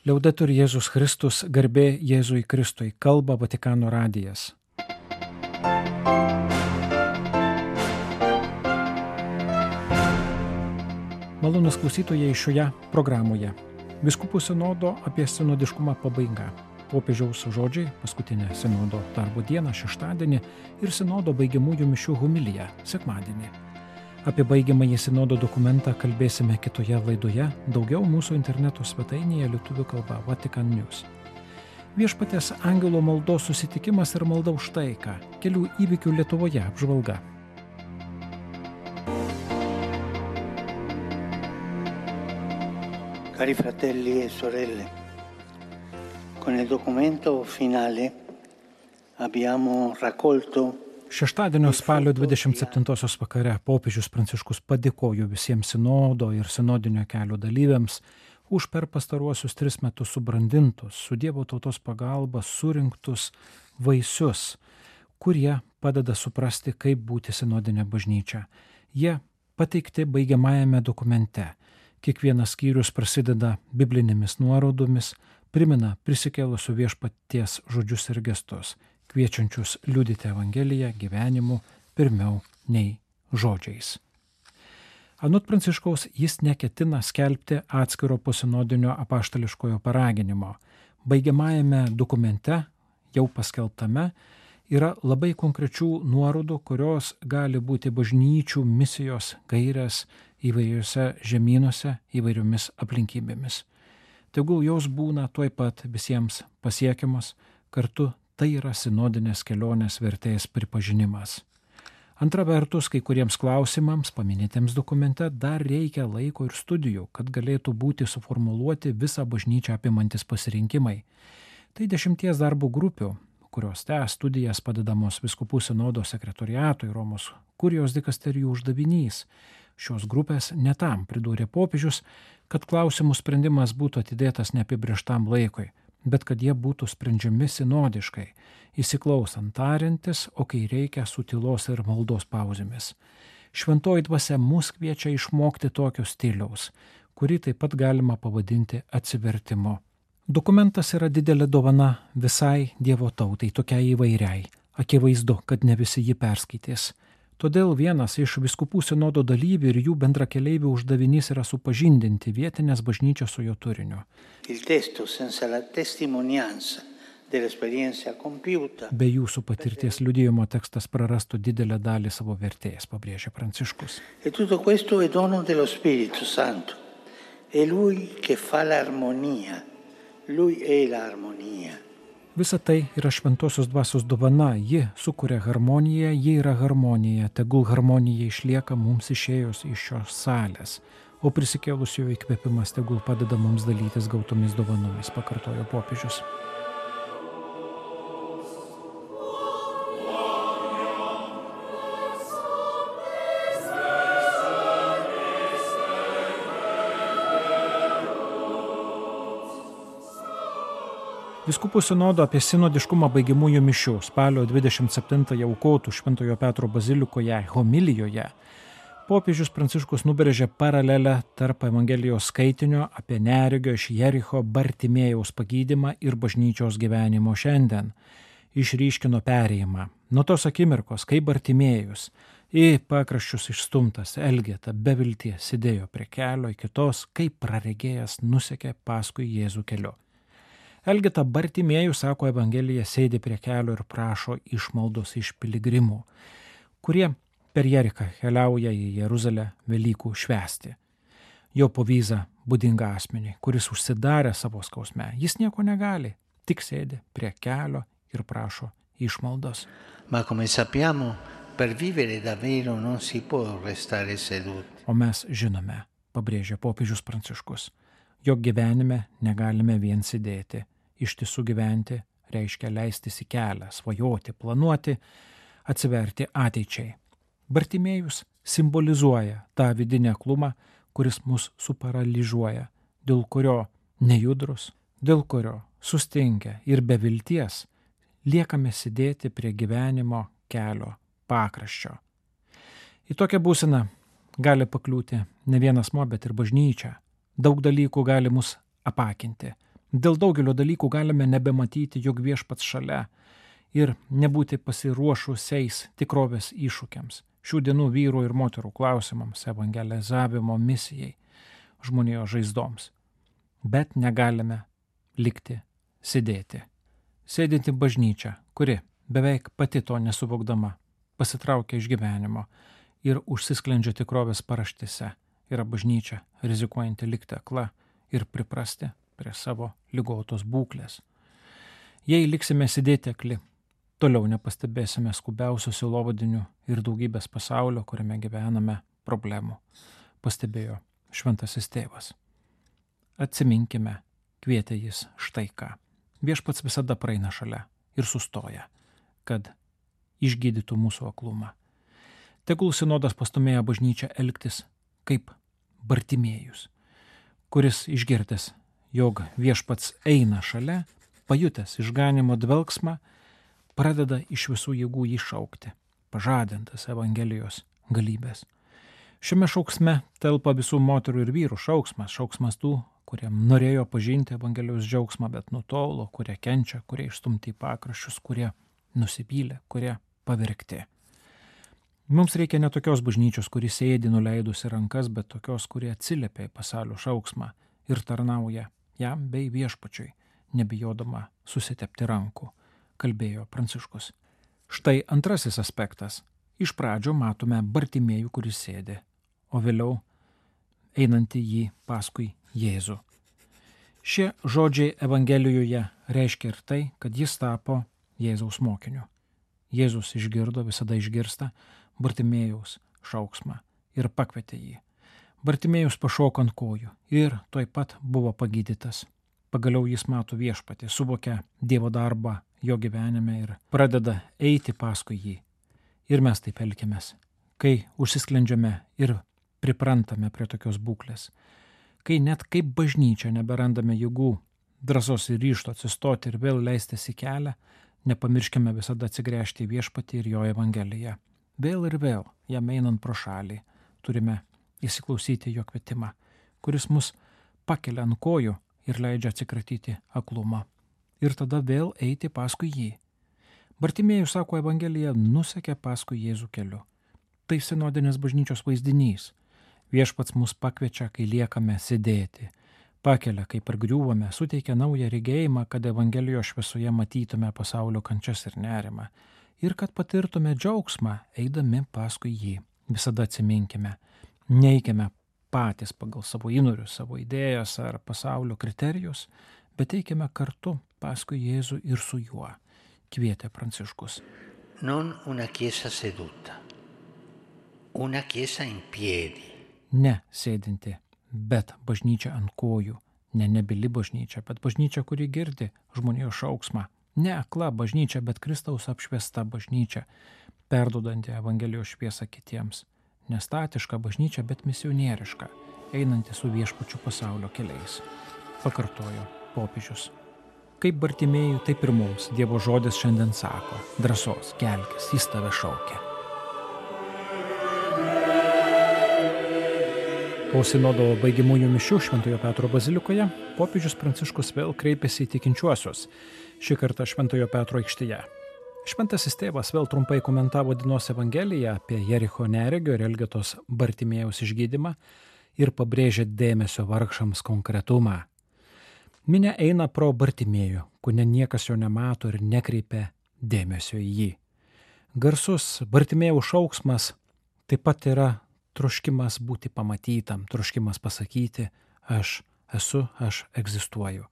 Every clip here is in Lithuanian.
Liaudetur Jėzus Kristus, garbė Jėzui Kristui, kalba Vatikano radijas. Malonūs klausytojai šioje programoje. Vyskupų sinodo apie sinodiškumą pabaiga. Popiežiaus žodžiai paskutinę sinodo darbo dieną šeštadienį ir sinodo baigiamųjų mišių homilija sekmadienį. Apie baigiamąjį sinodo dokumentą kalbėsime kitoje laidoje, daugiau mūsų interneto svetainėje lietuvių kalba Vatican News. Viešpaties angelo maldos susitikimas ir malda už taiką, kelių įvykių Lietuvoje apžvalga. Cari fratelli e sorelle, con il documento finale abbiamo raccolto Šeštadienio spalio 27 vakare popiežius Pranciškus padėkojo visiems sinodo ir sinodinio kelio dalyviams už per pastaruosius 3 metus subrandintus, su Dievo tautos pagalba surinktus vaisius, kurie padeda suprasti, kaip būti sinodinė bažnyčia. Jie pateikti baigiamajame dokumente. Kiekvienas skyrius prasideda biblinėmis nuorodomis, primena prisikėlusių viešpaties žodžius ir gestus, kviečiančius liudyti Evangeliją gyvenimu pirmiau nei žodžiais. Anot Pranciškaus jis neketina skelbti atskiro posinodinio apaštališkojo paraginimo. Baigiamajame dokumente, jau paskelbtame, yra labai konkrečių nuorodų, kurios gali būti bažnyčių misijos gairės įvairiuose žemynuose įvairiomis aplinkybėmis. Tegul jos būna tuoj pat visiems pasiekiamos, kartu tai yra sinodinės kelionės vertės pripažinimas. Antra vertus, kai kuriems klausimams paminėtiems dokumente dar reikia laiko ir studijų, kad galėtų būti suformuluoti visą bažnyčią apimantis pasirinkimai. Tai 10 darbo grupių, kurios tęs studijas padedamos Vyskupų sinodo sekretoriatui Romos kurijos dikasterijų uždavinys. Šios grupės ne tam pridūrė popiežius, kad klausimų sprendimas būtų atidėtas neapibrėžtam laikui, bet kad jie būtų sprendžiami sinodiškai, įsiklausant tariantis, o kai reikia su tylos ir maldos pauzėmis. Šventoji dvasia mus kviečia išmokti tokio stiliaus, kurį taip pat galima pavadinti atsivertimu. Dokumentas yra didelė dovana visai Dievo tautai, tokiai įvairiai. Akivaizdu, kad ne visi jį perskaitys. Todėl vienas iš vyskupų sinodo dalyvių ir jų bendrakeleivių uždavinys yra supažindinti vietinės bažnyčios su jo turiniu. Be jūsų patirties liudijimo tekstas prarastų didelę dalį savo vertės, pabrėžia Pranciškus. E tutto questo è dono dello Spirito Santo. È lui che fa l'armonia. Lui è l'armonia. Visa tai yra šventosios dvasios dovana, ji sukuria harmoniją, ji yra harmonija, tegul harmonija išlieka mums išėjus iš šios salės, o prisikėlusiojo įkvėpimas tegul padeda mums dalytis gautomis dovanomis, pakartojo popiežius. Vyskupų sinodo apie sinodiškumą baigiamųjų mišių spalio 27 aukotų Šventojo Petro bazilikoje homilijoje popiežius Pranciškus nubrėžė paralelę tarp Evangelijos skaitinio apie neregio iš Jericho Bartimėjaus pagydymą ir bažnyčios gyvenimo šiandien. Išryškino perėjimą. Nuo tos akimirkos, kai Bartimėjus į pakraščius išstumtas Elgeta be vilties sėdėjo prie kelio, iki tos, kaip praregėjęs nusekė paskui Jėzų keliu. Elgeta Bartimėjus, sako Evangelija, sėdi prie kelio ir prašo išmaldos iš piligrimų, kurie per Jerichą keliauja į Jeruzalę Velykų švęsti. Jo povyza būdinga asmeniui, kuris užsidarė savo skausme. Jis nieko negali, tik sėdi prie kelio ir prašo išmaldos. Ma come sappiamo, per vivere davvero non si può restare seduti. O mes žinome, pabrėžia popiežius Pranciškus, jog gyvenime negalime vien sėdėti. Ištisų gyventi reiškia leistis į kelią, svajoti, planuoti, atsiverti ateičiai. Bartimėjus simbolizuoja tą vidinę aklumą, kuris mus suparalyžiuoja, dėl kurio nejudrus, dėl kurio sustinkę ir be vilties liekame sėdėti prie gyvenimo kelio pakraščio. Į tokią būseną gali pakliūti ne vienas asmuo, bet ir bažnyčia. Daug dalykų gali mus apakinti. Dėl daugelio dalykų galime nebematyti, jog Viešpats šalia ir nebūti pasiruošusiais tikrovės iššūkiams, šių dienų vyrų ir moterų klausimams, evangelizavimo misijai, žmonijos žaizdoms. Bet negalime likti sėdėti. Sėdinti bažnyčia, kuri beveik pati to nesuvokdama pasitraukia iš gyvenimo ir užsisklendžia tikrovės paraštėse, yra bažnyčia, rizikuojanti likti akla ir priprasti prie savo ligotos būklės. Jei liksime sėdėti akli, toliau nepastebėsime skubiausių sielovadinių ir daugybės pasaulio, kuriame gyvename, problemų, pastebėjo šventasis tėvas. Atsiminkime, kvietė jis štai ką. Viešpats visada praeina šalia ir sustoja, kad išgydytų mūsų aklumą. Tegul sinodas pastumėja bažnyčią elgtis kaip Bartimėjus, kuris išgirdęs, jog Viešpats eina šalia, pajutęs išganimo dvelgsmą, pradeda iš visų jėgų jį šaukti, pažadintas Evangelijos galybės. Šiame šauksme telpa visų moterų ir vyrų šauksmas tų, kurie norėjo pažinti Evangelijos džiaugsmą, bet nutolo, kurie kenčia, kurie išstumti į pakraščius, kurie nusivylė, kurie pavergti. Mums reikia ne tokios bažnyčios, kuri sėdi nuleidusi rankas, bet tokios, kurie atsiliepia į pasaulio šauksmą ir tarnauja jam bei Viešpačiui, nebijodama susitepti rankų, kalbėjo Pranciškus. Štai antrasis aspektas. Iš pradžio matome Bartimėjų, kuris sėdi, o vėliau einantį jį paskui Jėzų. Šie žodžiai Evangelijoje reiškia ir tai, kad jis tapo Jėzaus mokiniu. Jėzus išgirdo, visada išgirsta Bartimėjaus šauksmą ir pakvietė jį. Bartimėjus pašoko ant kojų ir tuoj pat buvo pagydytas. Pagaliau jis mato Viešpatį, suvokia Dievo darbą jo gyvenime ir pradeda eiti paskui jį. Ir mes taip elgiamės, kai užsisklendžiame ir priprantame prie tokios būklės, kai net kaip bažnyčia neberandame jėgų, drąsos ir ryžto atsistoti ir vėl leistis į kelią, nepamirškime visada atsigręžti į Viešpatį ir jo Evangeliją. Vėl ir vėl, jam einant pro šalį, turime įsiklausyti jo kvietimą, kuris mus pakelia ant kojų ir leidžia atsikratyti aklumą. Ir tada vėl eiti paskui jį. Bartimėjus, sako Evangelija, nusekė paskui Jėzų keliu. Tai sinodinės bažnyčios vaizdinys. Viešpats mus pakviečia, kai liekame sėdėti. Pakelia, kai pargriūvame, suteikia naują regėjimą, kad Evangelijos šviesoje matytume pasaulio kančias ir nerimą. Ir kad patirtume džiaugsmą, eidami paskui jį. Visada atsiminkime, neikime patys pagal savo įnorius, savo idėjas ar pasaulio kriterijus, bet eikime kartu paskui Jėzų ir su juo, kvietė Pranciškus. Non una chiesa seduta, una chiesa in piedi. Ne sėdinti, bet bažnyčia ant kojų, ne nebili bažnyčia, bet bažnyčia, kuri girdi žmonijos šauksmą. Ne akla bažnyčia, bet Kristaus apšviesta bažnyčia, perduodanti Evangelijos šviesą kitiems. Nestatiška bažnyčia, bet misionieriška, einanti su Viešpačiu pasaulio keliais. Pakartojo popiežius. Kaip Bartimėjui, taip ir mums Dievo žodis šiandien sako: drąsos, kelkis, jis tave šaukia. Po sinodo baigiamųjų mišių Šventojo Petro bazilikoje popiežius Pranciškus vėl kreipėsi į tikinčiuosius, šį kartą Šventojo Petro aikštėje. Šventasis tėvas vėl trumpai komentavo dienos Evangeliją apie Jericho neregio ir Elgetos Bartimėjaus išgydymą ir pabrėžė dėmesio vargšams konkretumą. Minia eina pro Bartimėjų, kone niekas jo nemato ir nekreipia dėmesio į jį. Garsus Bartimėjaus šauksmas taip pat yra troškimas būti pamatytam, troškimas pasakyti: aš esu, aš egzistuoju.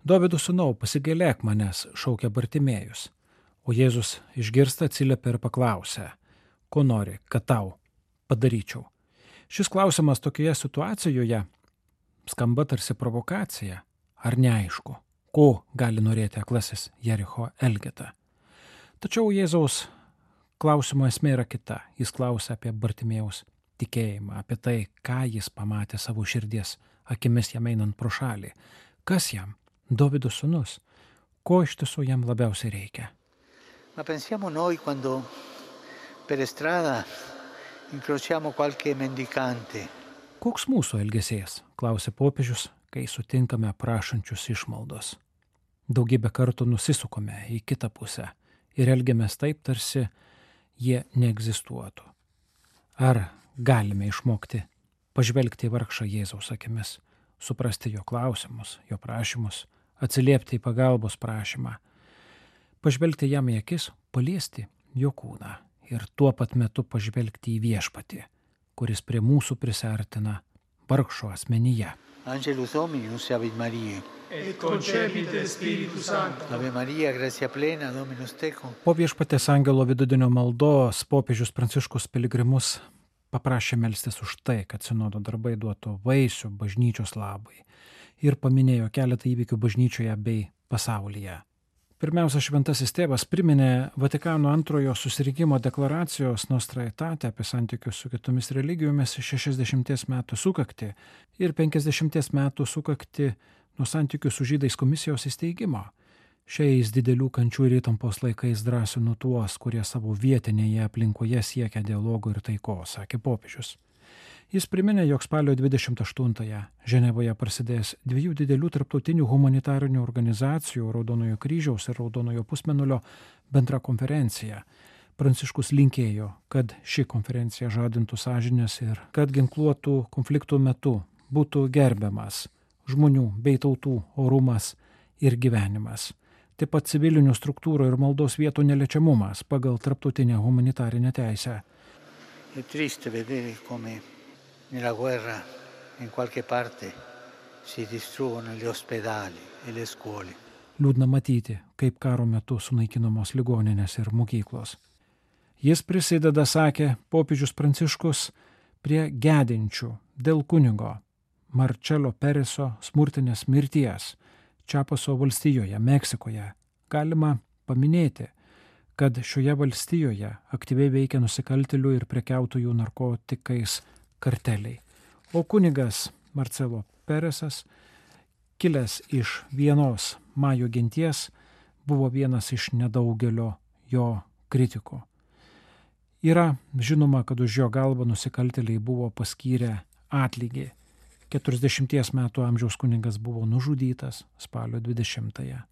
Dovydo sūnau, pasigailėk manęs, šaukia Bartimėjus. O Jėzus išgirsta, atsiliepia ir paklausia: ko nori, kad tau padaryčiau? Šis klausimas tokioje situacijoje skamba tarsi provokacija, ar neaišku, ko gali norėti aklasis Jericho Elgeta. Tačiau Jėzaus klausimo esmė yra kita. Jis klausia apie Bartimėjaus tikėjimą, apie tai, ką jis pamatė savo širdies akimis jam einant pro šalį. Kas jam? Dovydo sūnus. Ko iš tiesų jam labiausiai reikia? Ma pensiamo noi quando per strada incrociamo qualche mendicante. Koks mūsų elgesys, klausė popiežius, kai sutinkame prašančius išmaldos. Daugybę kartų nusisukome į kitą pusę ir elgiamės taip, tarsi jie neegzistuotų. Ar galime išmokti pažvelgti į vargšą Jėzaus akimis, suprasti jo klausimus, jo prašymus, atsiliepti į pagalbos prašymą, pažvelgti jam į akis, paliesti jo kūną ir tuo pat metu pažvelgti į Viešpatį, kuris prie mūsų prisartina vargšo asmenyje. Angelus Dominus, ave Maria. Et concepite Spiritus Sancto. Ave Maria, gratia plena, Dominus tecum. Po Viešpaties angelo vidudienio maldos popiežius Pranciškus piligrimus paprašė melstis už tai, kad sinodo darbai duotų vaisių bažnyčios labui ir paminėjo keletą įvykių bažnyčioje bei pasaulyje. Pirmiausia, šventasis tėvas priminė Vatikano antrojo susirinkimo deklaracijos Nostra Aetate apie santykius su kitomis religijomis 60 metų sukaktį ir 50 metų sukaktį nuo santykių su žydais komisijos įsteigimo. Šiais didelių kančių ir įtampos laikais drąsinu tuos, kurie savo vietinėje aplinkoje siekia dialogo ir taikos, sakė popiežius. Jis priminė, jog spalio 28-ąją Ženevoje prasidės 2 didelių tarptautinių humanitarinių organizacijų Raudonojo kryžiaus ir Raudonojo pusmėnulio bendra konferencija. Pranciškus linkėjo, kad ši konferencija žadintų sąžinės ir kad ginkluotų konfliktų metu būtų gerbiamas žmonių bei tautų orumas ir gyvenimas. Taip pat civilinių struktūrų ir maldos vietų neliečiamumas pagal tarptautinę humanitarinę teisę. È triste vedere come nella guerra in qualche parte si distruggono gli ospedali e le scuole. Liūdna matyti, kaip karo metu sunaikinamos ligoninės ir mokyklos. Jis prisideda, sakė popiežius Pranciškus, prie gedinčių dėl kunigo Marčelo Pereso smurtinės mirties Čiapaso valstijoje, Meksikoje. Galima paminėti, kad šioje valstijoje aktyviai veikia nusikaltėlių ir prekiautojų narkotikais karteliai. O kunigas Marcelo Peresas, kilęs iš vienos majų genties, buvo vienas iš nedaugelio jo kritikų. Yra žinoma, kad už jo galvą nusikaltėliai buvo paskyrę atlygį. 40 metų amžiaus kunigas buvo nužudytas spalio 20-ąją.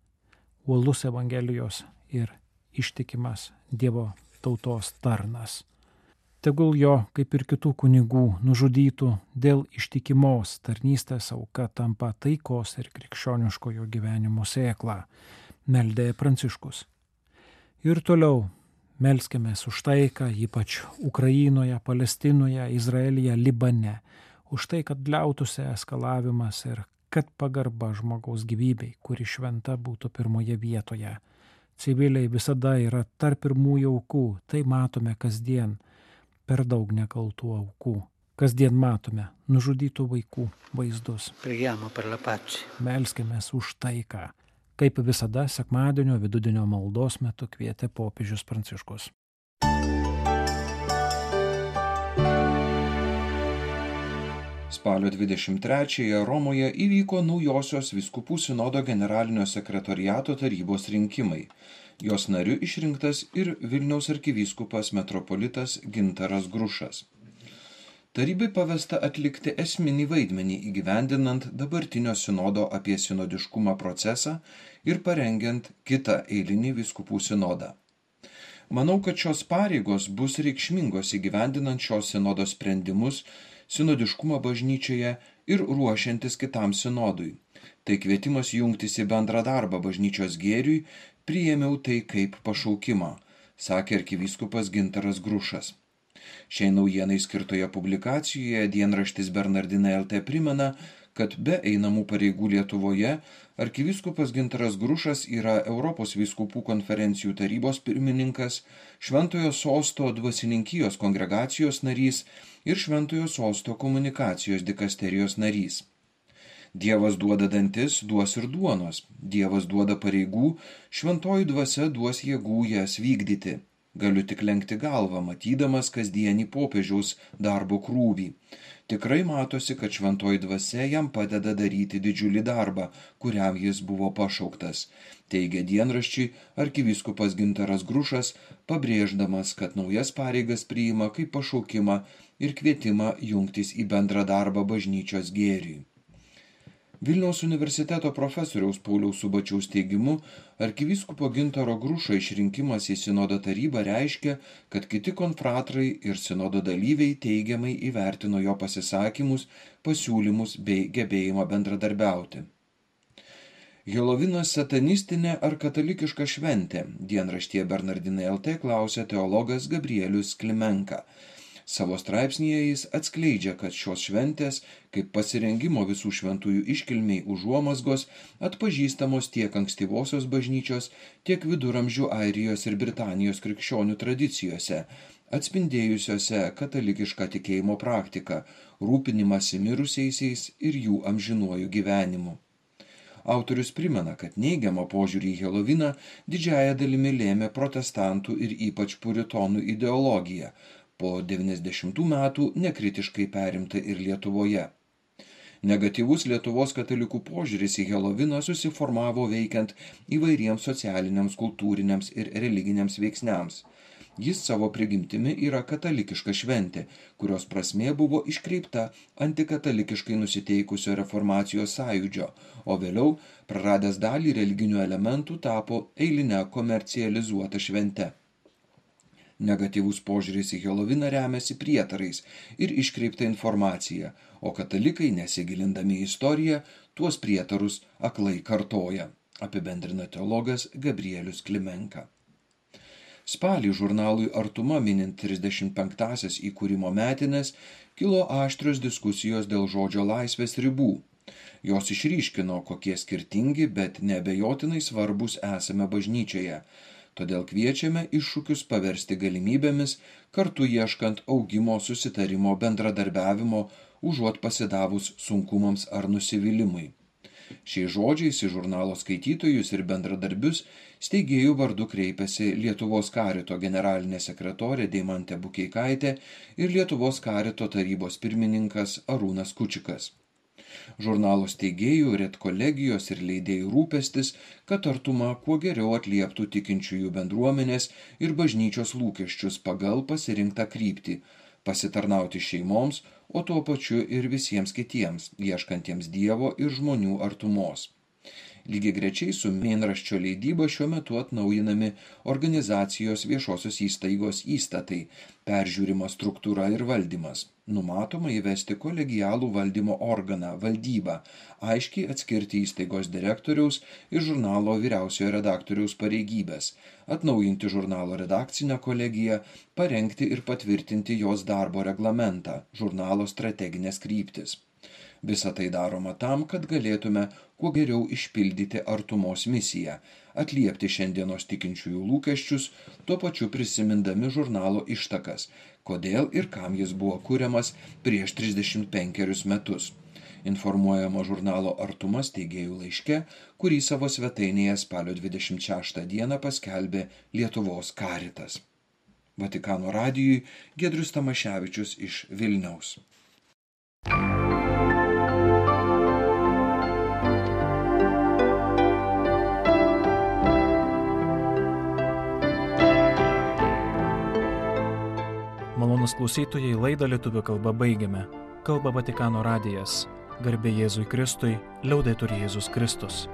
Uolus Evangelijos ir ištikimas Dievo tautos tarnas. Tegul jo, kaip ir kitų kunigų, nužudytų dėl ištikimos tarnystės auka tampa taikos ir krikščioniškojo gyvenimo sėkla, meldė Pranciškus. Ir toliau melskimės už taiką, ypač Ukrainoje, Palestinoje, Izraelyje, Libane, už tai, kad liautųsi eskalavimas ir kad pagarba žmogaus gyvybei, kuri šventa, būtų pirmoje vietoje. Civiliai visada yra tarp pirmųjų aukų, tai matome kasdien. Per daug nekaltų aukų. Kasdien matome nužudytų vaikų vaizdus. Preghiamo per la pace. Melskimės už taiką, kaip visada sekmadienio vidudienio maldos metu kvietė popiežius Pranciškus. Spalio 23-ąją Romoje įvyko naujosios vyskupų sinodo generalinio sekretoriato tarybos rinkimai. Jos nariu išrinktas ir Vilniaus arkivyskupas metropolitas Gintaras Grušas. Tarybai pavesta atlikti esminį vaidmenį įgyvendinant dabartinio sinodo apie sinodiškumą procesą ir parengiant kitą eilinį vyskupų sinodą. Manau, kad šios pareigos bus reikšmingos įgyvendinant šios sinodo sprendimus sinodiškumą bažnyčioje ir ruošiantis kitam sinodui. Tai kvietimas jungtis į bendrą darbą bažnyčios gėriui, priėmiau tai kaip pašaukimą, sakė arkivyskupas Gintaras Grušas. Šiai naujienai skirtoje publikacijoje dienraštis Bernardinai LT primena, kad be einamų pareigų Lietuvoje arkivyskupas Gintaras Grušas yra Europos vyskupų konferencijų tarybos pirmininkas, Šventojo Sosto dvasininkijos kongregacijos narys ir Šventojo Sosto komunikacijos dikasterijos narys. Dievas duoda dantis, duos ir duonos. Dievas duoda pareigų, šventoji dvasia duos jėgų jas vykdyti. Galiu tik lenkti galvą, matydamas kasdienį popiežiaus darbo krūvį. Tikrai matosi, kad šventoji dvasia jam padeda daryti didžiulį darbą, kuriam jis buvo pašauktas, teigia dienraščiui arkivyskupas Gintaras Grušas, pabrėždamas, kad naujas pareigas priima kaip pašaukimą ir kvietimą jungtis į bendrą darbą bažnyčios gėriui. Vilniaus universiteto profesoriaus Pauliaus Subačiaus teigimu, arkivyskupo Gintaro Grušo išrinkimas į sinodo tarybą reiškia, kad kiti konfratrai ir sinodo dalyviai teigiamai įvertino jo pasisakymus, pasiūlymus bei gebėjimą bendradarbiauti. Helovinas satanistinė ar katalikiška šventė? Dienraštyje Bernardinai LT klausė teologas Gabrielius Klimenka. Savo straipsnyje jis atskleidžia, kad šios šventės, kaip pasirengimo visų šventųjų iškilmiai užuomazgos, atpažįstamos tiek ankstyvosios bažnyčios, tiek viduramžių Airijos ir Britanijos krikščionių tradicijose, atspindėjusiose katalikišką tikėjimo praktiką, rūpinimąsi mirusiaisiais ir jų amžinuoju gyvenimu. Autorius primena, kad neigiamą požiūrį į Heloviną didžiąja dalimi lėmė protestantų ir ypač puritonų ideologija, po 90 metų nekritiškai perimta ir Lietuvoje. Negatyvus Lietuvos katalikų požiūris į Heloviną susiformavo veikiant įvairiems socialiniams, kultūriniams ir religiniams veiksniams. Jis savo prigimtimi yra katalikiška šventė, kurios prasmė buvo iškreipta antikatalikiškai nusiteikusio reformacijos sąjūdžio, o vėliau, praradęs dalį religinių elementų, tapo eiline komercializuota švente. Negatyvus požiūris į Heloviną remiasi prietarais ir iškreipta informacija, o katalikai, nesigilindami į istoriją, tuos prietarus aklai kartoja, apibendrina teologas Gabrielius Klimenka. Spalį žurnalui Artuma minint 35-asias įkūrimo metines kilo aštrios diskusijos dėl žodžio laisvės ribų. Jos išryškino, kokie skirtingi, bet neabejotinai svarbus esame bažnyčioje. Todėl kviečiame iššūkius paversti galimybėmis, kartu ieškant augimo, susitarimo, bendradarbiavimo, užuot pasidavus sunkumams ar nusivylimui. Šiais žodžiais į žurnalo skaitytojus ir bendradarbius steigėjų vardu kreipėsi Lietuvos karito generalinė sekretorė Deimantė Bukeikaitė ir Lietuvos karito tarybos pirmininkas Arūnas Kučikas. Žurnalo steigėjų, redkolegijos ir leidėjų rūpestis, kad Artuma kuo geriau atlieptų tikinčiųjų bendruomenės ir bažnyčios lūkesčius pagal pasirinktą kryptį, pasitarnauti šeimoms, o tuo pačiu ir visiems kitiems, ieškantiems Dievo ir žmonių artumos. Lygiagrečiai su mėnraščio leidyba šiuo metu atnaujinami organizacijos viešosios įstaigos įstatai, peržiūrima struktūra ir valdymas. Numatoma įvesti kolegialų valdymo organą, valdybą, aiškiai atskirti įstaigos direktoriaus ir žurnalo vyriausiojo redaktoriaus pareigybės, atnaujinti žurnalo redakcinę kolegiją, parengti ir patvirtinti jos darbo reglamentą, žurnalo strateginės kryptis. Visa tai daroma tam, kad galėtume kuo geriau išpildyti Artumos misiją, atliepti šiandienos tikinčiųjų lūkesčius, tuo pačiu prisimindami žurnalo ištakas, kodėl ir kam jis buvo kuriamas prieš 35 metus. Informuojama žurnalo Artuma steigėjų laiške, kurį savo svetainėje spalio 26 dieną paskelbė Lietuvos karitas. Vatikano radijui Giedrius Tamaševičius iš Vilniaus. Malonūs klausytojai, laidą lietuvių kalba baigiame. Kalba Vatikano radijas. Garbė Jėzui Kristui, liaudetur Jėzus Kristus.